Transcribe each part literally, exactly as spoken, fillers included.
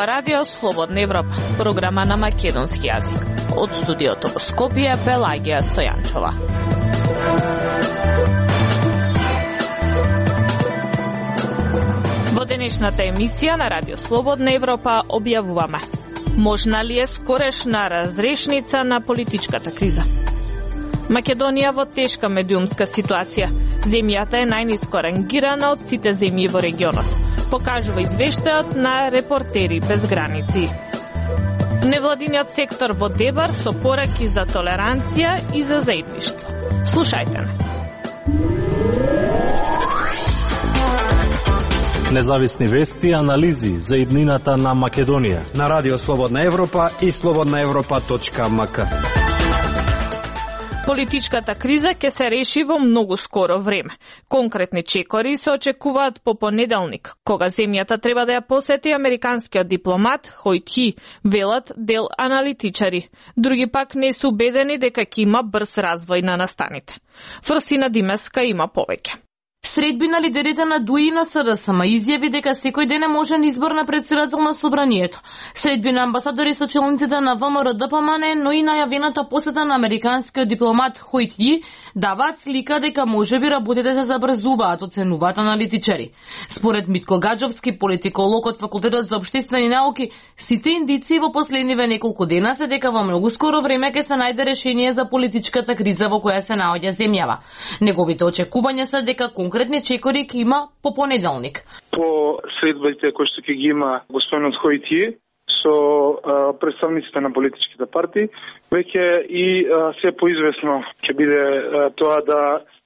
Ова радио Слободна Европа, програма на македонски јазик. Од студиото во Скопје, Пелагија Стојанчова. Во денешната емисија на радио Слободна Европа објавуваме: можна ли е скорешна разрешница на политичката криза? Македонија во тешка медиумска ситуација. Земјата е најниско рангирана од сите земји во регионот, покажува извештајот на Репортери без граници. Невладиниот сектор во Дебар со пораки за толеранција и за заедништво. Слушајте не. Независни вести и анализи за иднината на Македонија на радио Слободна Европа и слободна европа точка ем ка. Политичката криза ќе се реши во многу скоро време. Конкретни чекори се очекуваат по понеделник, кога земјата треба да ја посети американскиот дипломат Хојт Хи, велат дел аналитичари. Други пак не се убедени дека ќе има брз развој на настаните. Фрсина Димеска има повеќе. Средби на лидерите на ДУИ и на СДСМ изјави дека секој ден е можен избор на претседател на собранието. Средби на амбасадори со челниците на ВМРО-ДПМН, но и најавената посета на американскиот дипломат Хојт Хи даваат слика дека можеби работите се забрзуваат, оценуваат аналитичари. Според Митко Гаджовски, политиколог од Факултетот за општествени науки, сите индици во последниве неколку дена се дека во многу скоро време ќе се најде решение за политичката криза во која се наоѓа земјава. Неговите очекувања се дека конкретни чекори ќе има по понеделник. По средбите кои што ќе ги има господинот Хојт Хи со а, представниците на политичките партии, веќе и а, се поизвестно ќе биде а, тоа да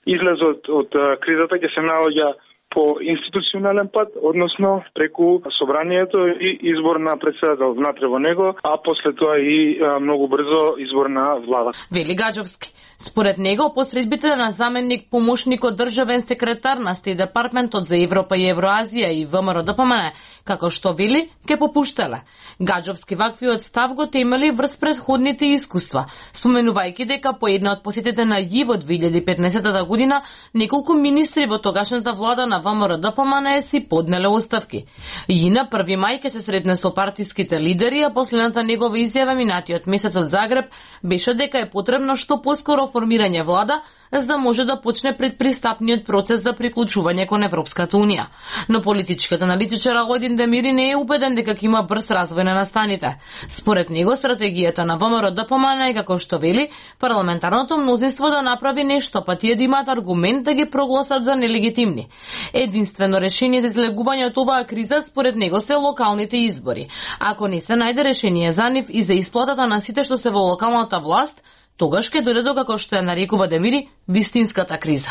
излезот од а, кризата ќе се наоѓа по институционален пат, односно преку собранието и избор на претседател внатре во него, а после тоа и а, многу брзо избор на влада. Вели Гаджовски. Според него, посредбите на заменник помошникот државен секретар на Стейт Департментот за Европа и Евроазија и ВМРО-ДПМН, како што вели, ке попуштале. Гаджовски ваквиот став го темели врз претходните искуства, споменувајќи дека по една од посетите на ЈИ во две илјади и петнаесета година, неколку министри во тогашната влада на ВМРО-ДПМН си поднеле оставки. ЈИ на први мај ке се сретне со партиските лидери, а последната негова изјава минатиот месец од Загреб беше дека е потребно што поскоро формирање влада, за да може да почне предпристапниот процес за приклучување кон Европската Унија. Но политичкиот аналитичар Аладин Демири не е убеден дека ќе има брз развој на настаните. Според него, стратегијата на ВМРО-ДПМН е, како што вели, парламентарното мнозинство да направи нешто, па тие да имаат аргумент да ги прогласат за нелегитимни. Единствено решение за излегување од оваа криза, според него, се локалните избори. Ако не се најде решение за нив и за исплатата на сите што се во локалната власт, тогаш ќе дојде до, како што ја нарекува Демири, вистинската криза.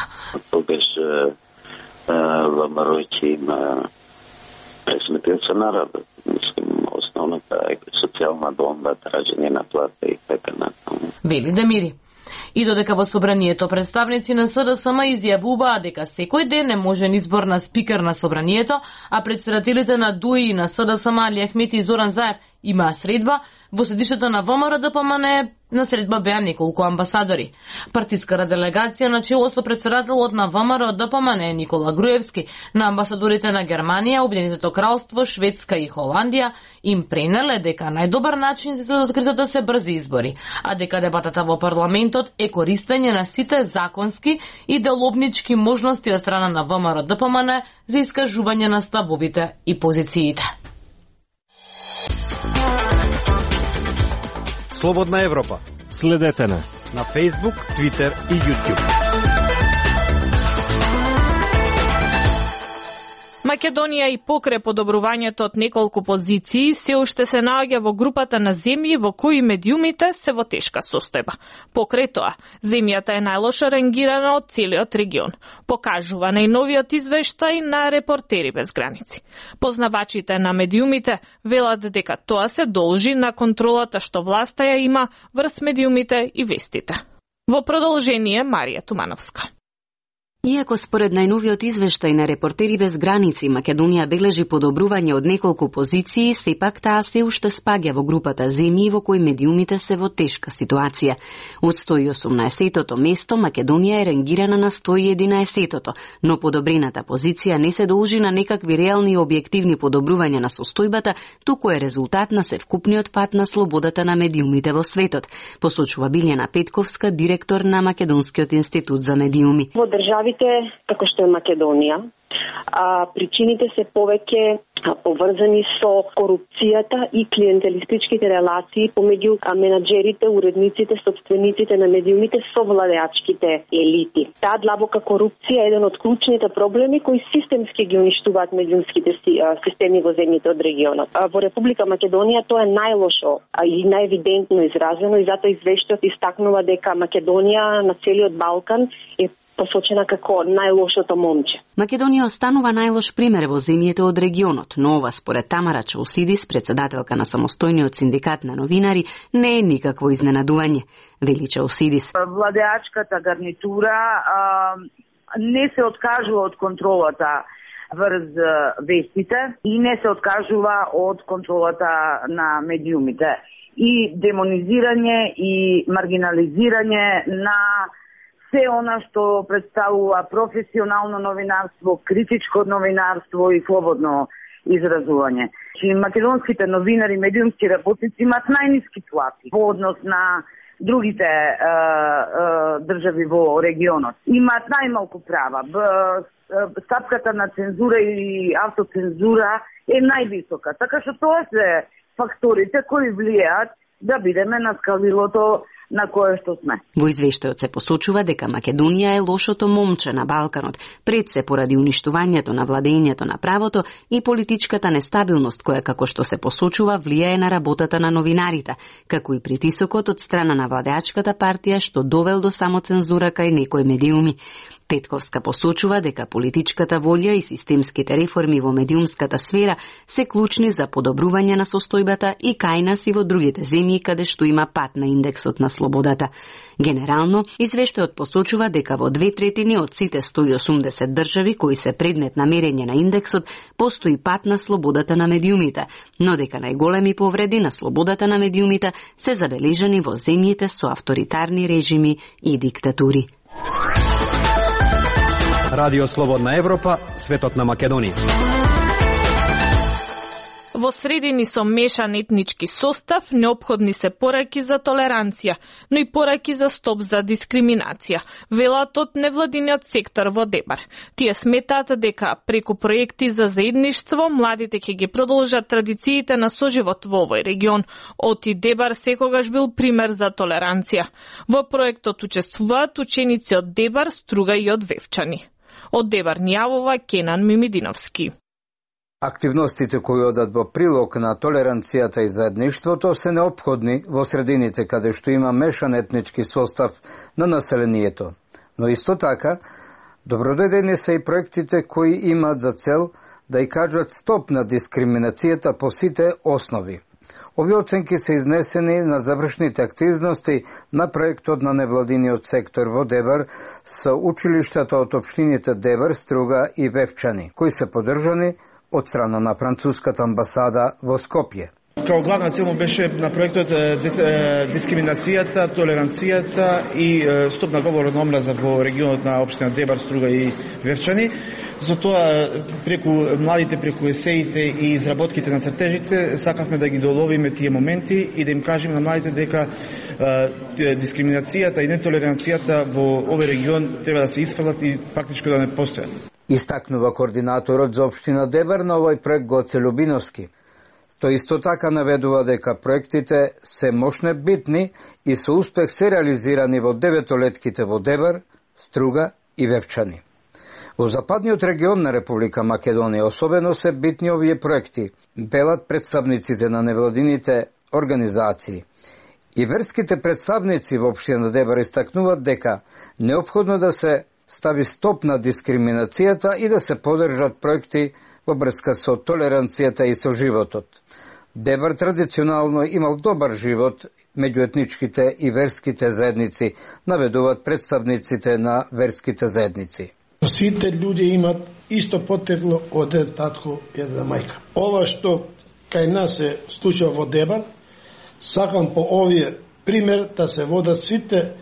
Тогаш ВМРО ќе има пресметница народот. Мислим, основната е социјална бомба, тражење на плата и така натаму. Вели Демири. И додека во собранието представници на СДСМ изјавуваа дека секој ден е можен избор на спикер на собранието, а председателите на ДУИ и на СДСМ Али Ахмети и Зоран Заев имаа средба, во седишето на ВМРО-ДПМН на средба беа неколку амбасадори. Партиската делегација на чело со председателот на ВМРО-ДПМН Никола Груевски, на амбасадорите на Германија, Обединетото кралство, Шведска и Холандија им пренеле дека најдобар начин за да кризата се брзи избори, а дека дебатата во парламентот е користење на сите законски и деловнички можности од страна на ВМРО-ДПМН за искажување на ставовите и позициите. Слободна Европа. Следете на на Facebook, Twitter и YouTube. Македонија и покрај подобрувањето од неколку позиции се уште се наоѓа во групата на земји во кои медиумите се во тешка состојба. Покрај тоа, земјата е најлошо рангирана од целиот регион, покажува најновиот извештај на Репортери без граници. Познавачите на медиумите велат дека тоа се должи на контролата што власта ја има врз медиумите и вестите. Во продолжение Марија Тумановска. Иако според најновиот извештај на Репортери без граници, Македонија бележи подобрување од неколку позиции, сепак таа се уште спаѓа во групата земји во кои медиумите се во тешка ситуација. Од сто и осумнаесеттото место, Македонија е рангирана на сто и единаесеттото, но подобрената позиција не се должи на некакви реални и објективни подобрувања на состојбата, туку е резултат на севкупниот пат на слободата на медиумите во светот, посочува Билјана Петковска, директор на Македонскиот институт за медиуми. Во државите како што е Македонија, а, причините се повеќе поврзани со корупцијата и клиентелистичките релации помеѓу менаџерите, уредниците, собствениците на медиумите со владеачките елити. Таа длабока корупција е еден од клучните проблеми кои системски ги уништуваат медиумските системи во земјите од регионот. Во Република Македонија тоа е најлошо и најевидентно изразено и затоа извештајот истакнува дека Македонија на целиот Балкан е посочена како најлошото момче. Македонија останува најлош пример во земјите од регионот, но ова според Тамара Чаусидис, председателка на самостојниот синдикат на новинари, не е никакво изненадување. Вели Чаусидис. Владеачката гарнитура а, не се откажува од контролата врз вестите и не се откажува од контролата на медиумите. И демонизирање и маргинализирање на се она што представува професионално новинарство, критичко новинарство и слободно изразување. Чи македонските новинари, медиумски работници имаат најниски плати во однос на другите е, е, држави во регионот. Имаат најмалку права. Б, стапката на цензура и автоцензура е највисока. Така што тоа се факторите кои влијаат да бидеме на скалилото на кое што сме. Во извештајот се посочува дека Македонија е лошото момче на Балканот, пред се поради уништувањето на владењето на правото и политичката нестабилност која, како што се посочува, влијае на работата на новинарите, како и притисокот од страна на владеачката партија што довел до самоцензура кај некои медиуми. Петковска посочува дека политичката волја и системските реформи во медиумската сфера се клучни за подобрување на состојбата и кај нас и во другите земји каде што има пат на индексот на слободата. Генерално, извештајот посочува дека во две третини од сите сто и осумдесет држави кои се предмет на мерење на индексот постои пат на слободата на медиумите, но дека најголеми повреди на слободата на медиумите се забележани во земјите со авторитарни режими и диктатури. Радио Слободна Европа, светот на Македонија. Во средини со мешан етнички состав неопходни се пораки за толеранција, но и пораки за стоп за дискриминација, велат од невладиниот сектор во Дебар. Тие сметаат дека преку проекти за заедништво младите ќе ги продолжат традициите на соживот во овој регион. Оти Дебар секогаш бил пример за толеранција. Во проектот учествуваат ученици од Дебар, Струга и од Вевчани. Од Дебар ни јавува Кенан Мимидиновски. Активностите кои одат во прилог на толеранцијата и заедништвото се неопходни во средините каде што има мешан етнички состав на населението. Но исто така, добродојдени се и проектите кои имаат за цел да и кажат стоп на дискриминацијата по сите основи. Овие оценки се изнесени на завршните активности на проектот на невладиниот сектор во Дебар со училиштата од општините Дебар, Струга и Вевчани, кои се поддржани од страна на француската амбасада во Скопје. Као главна цел беше на проектот дискриминацијата, толеранцијата и стоп на говор на омраза во регионот на општина Дебар, Струга и Вевчани. За тоа преку младите, преку есеите и изработките на цртежите сакавме да ги доловиме тие моменти и да им кажеме на младите дека дискриминацијата и нетолеранцијата во овој регион треба да се исфрлат и практичко да не постојат. Истакнува координаторот за општина Дебар на овој проект Гоце Любиновски. Тој исто така наведува дека проектите се мощне битни и со успех се реализирани во деветолетките во Дебар, Струга и Вевчани. Во западниот регион на Република Македонија особено се битни овие проекти, велат представниците на невладините организации. И верските представници во општина Дебар истакнуваат дека неопходно да се стави стоп на дискриминацијата и да се поддржат проекти во врска со толеранцијата и со животот. Дебар традиционално имал добар живот меѓу етничките и верските заедници, наведуваат представниците на верските заедници. Сите луѓе имат исто потекло од еден татко и една мајка. Ова што кај нас се случува во Дебар, сакам по овие пример да се водат сите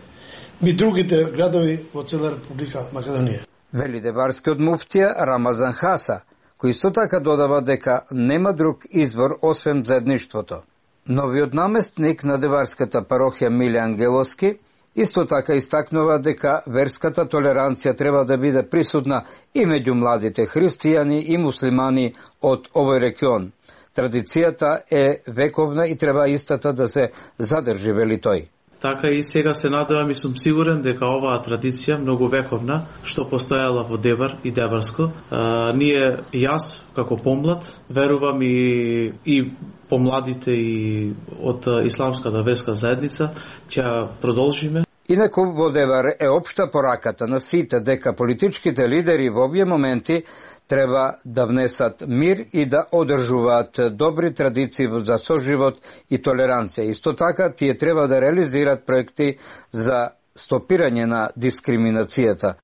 ми другите градови во цела Република Македонија. Вели дебарскиот муфтија Рамазан Хаса, кој исто така додава дека нема друг извор освен заедништвото. Новиот наместник на деварската парохија Миле Ангеловски исто така истакнува дека верската толеранција треба да биде присутна и меѓу младите христијани и муслимани од овој регион. Традицијата е вековна и треба истата да се задржи, вели тој. Така и сега се надевам и сум сигурен дека оваа традиција многу вековна, што постојала во Дебар и Дебарско, а, ние јас како помлад верувам и и помладите и од исламската верска заедница ќе продолжиме. Инаку во Дебар е општа пораката на сите дека политичките лидери во овие моменти треба да внесат мир и да одржуваат добри традиции за соживот и толеранција. Исто така, тие треба да реализираат проекти за стопирање на дискриминацијата.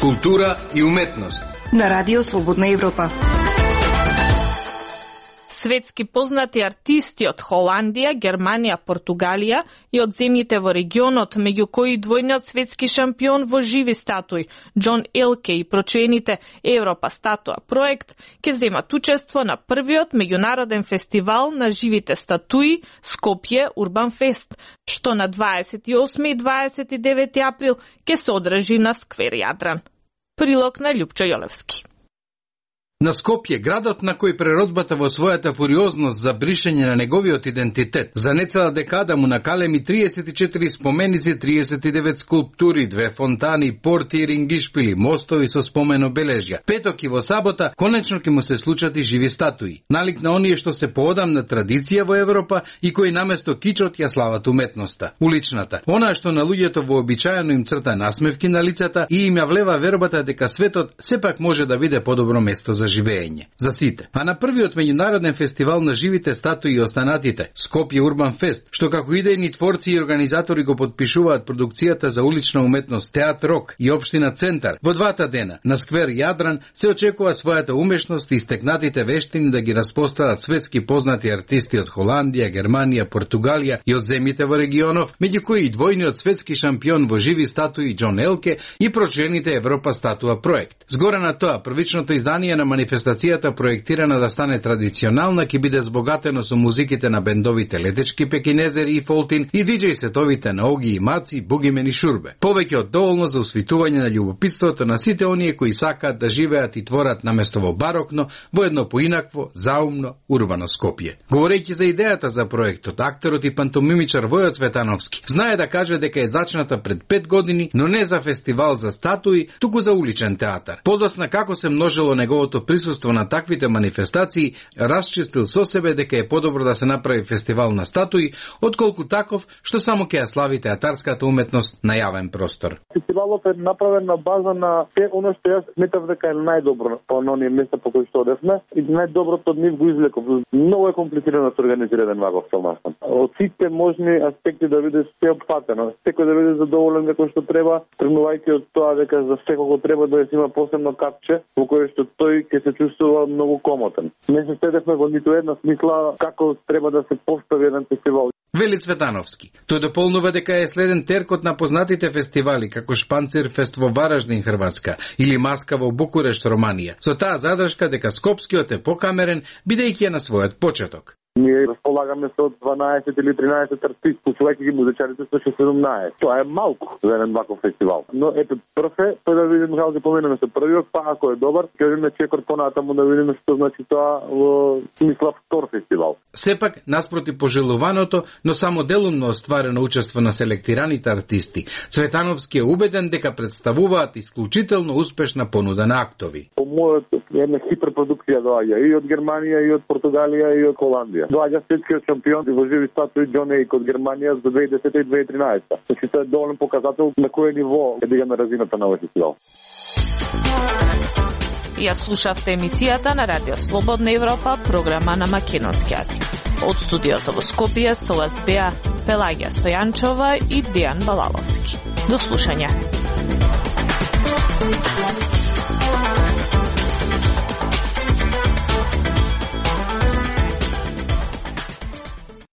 Култура и уметност на Радио Слободна Европа. Светски познати артисти од Холандија, Германија, Португалија и од земјите во регионот, меѓу кои двојниот светски шампион во живи статуи, Џон Елке и прочените Европа статуа проект, ќе земат учество на првиот меѓународен фестивал на живите статуи Скопје Урбан Фест, што на дваесет и осми и дваесет и девети април ќе се одржи на сквер Јадран. Прилог на Љупчо Јолевски. На Скопје, градот на кој природбата во својата фуриозност за бришење на неговиот идентитет, за нецела декада му накалеми триесет и четири споменици, триесет и девет скулптури, две фонтани, порти и рингишпили, мостови со спомен обележја. Петок и во сабота, конечно ќе му се случат и живи статуи. Налик на оние што се поодамна традиција во Европа и кои наместо кичот ја слават уметноста, уличната. Она што на луѓето вообичаено им црта насмевки на лицата и им ја влева вербата дека светот сепак може да биде подобро место за живење. За сите. А на првиот меѓународен фестивал на живите статуи и останатите, Скопје Урбан Фест, што како идејни творци и организатори го подпишуваат продукцијата за улична уметност Театр Рок и општина Центар, во двата дена на сквер Јадран се очекува својата умешност и стекнатите вештини да ги распостават светски познати артисти од Холандија, Германија, Португалија и од земјите во регионов, меѓу кои и двојниот светски шампион во живи статуи Џон Елке и прочените Европа статуа проект. Згоре на тоа, првичното издание на манифестацијата, проектирана да стане традиционална, ќе биде збогатено со музиките на бендовите Летечки Пекинезери и Фолтин и диџеј сетовите на Оги и Маци, Бугимен и Шурбе. Повеќе од доволно за усвитување на љубопитството на сите оние кои сакаат да живеат и творат наместо во барокно, во едно поинакво, заумно, урбано Скопје. Говорејќи за идејата за проектот, актерот и пантомимичар Војо Цветановски знае да каже дека е зачната пред пет години, но не за фестивал за статуи, туку за уличен театар. Подосна како се множило неговото присуство на таквите манифестации, расчистил со себе дека е подобро да се направи фестивал на статуи, отколку таков што само ќе ја слави театарската уметност на јавен простор. Фестивалот е направен на база на се оно што јас сметав дека е најдобро по оние места по кои што одевме и најдоброто од нив го извлеков. Многу е комплицирано да се организира еден ваков филмастан. Од сите можни аспекти да биде сеопфатено, секој да биде задоволен како што треба, тргнувајќи од тоа дека за секого треба да има посебно капче во кое што тој ќе се чувствува многу комотен. Не се седевме во ниту една смисла како треба да се постави еден фестивал. Вели Цветановски. Тој дополнува дека е следен теркот на познатите фестивали како Шпанцирфест во Вараждин, Хрватска или Маска во Букурешт, Романија. Со таа задршка дека Скопскиот е покамерен, бидејќи е на својот почеток. Ние располагаме со дванаесет или тринаесет артисти, послувајќи ги музичарите со шестнаесет. Тоа е малку за еден ваков фестивал. Но ето прв е, тој да видиме како ќе поменеме со првиот, па ако е добар, ќе видиме чекор понатаму да видиме што значи тоа во смисла втор фестивал. Сепак, наспроти пожелуваното, но само делумно остварено учество на селектираните артисти, Цветановски е убеден дека представуваат исклучително успешна понуда на актови. По мојот една хиперпродукција доаѓа и од Германија, и од Португалија, и од Холандија. Доаѓа светскиот шампион во живи статуи Џон Елке од Германија за две илјади и десета и две илјади и тринаесета. Значи тоа е доволен показател на кој ниво е дигана разината на овој фестивал. Ја слушавте емисијата на Радио Слободна Европа, програма на македонски јазик. Од студиото во Скопје со вас беа Пелагија Стојанчова и Дејан Балаловски. До слушање.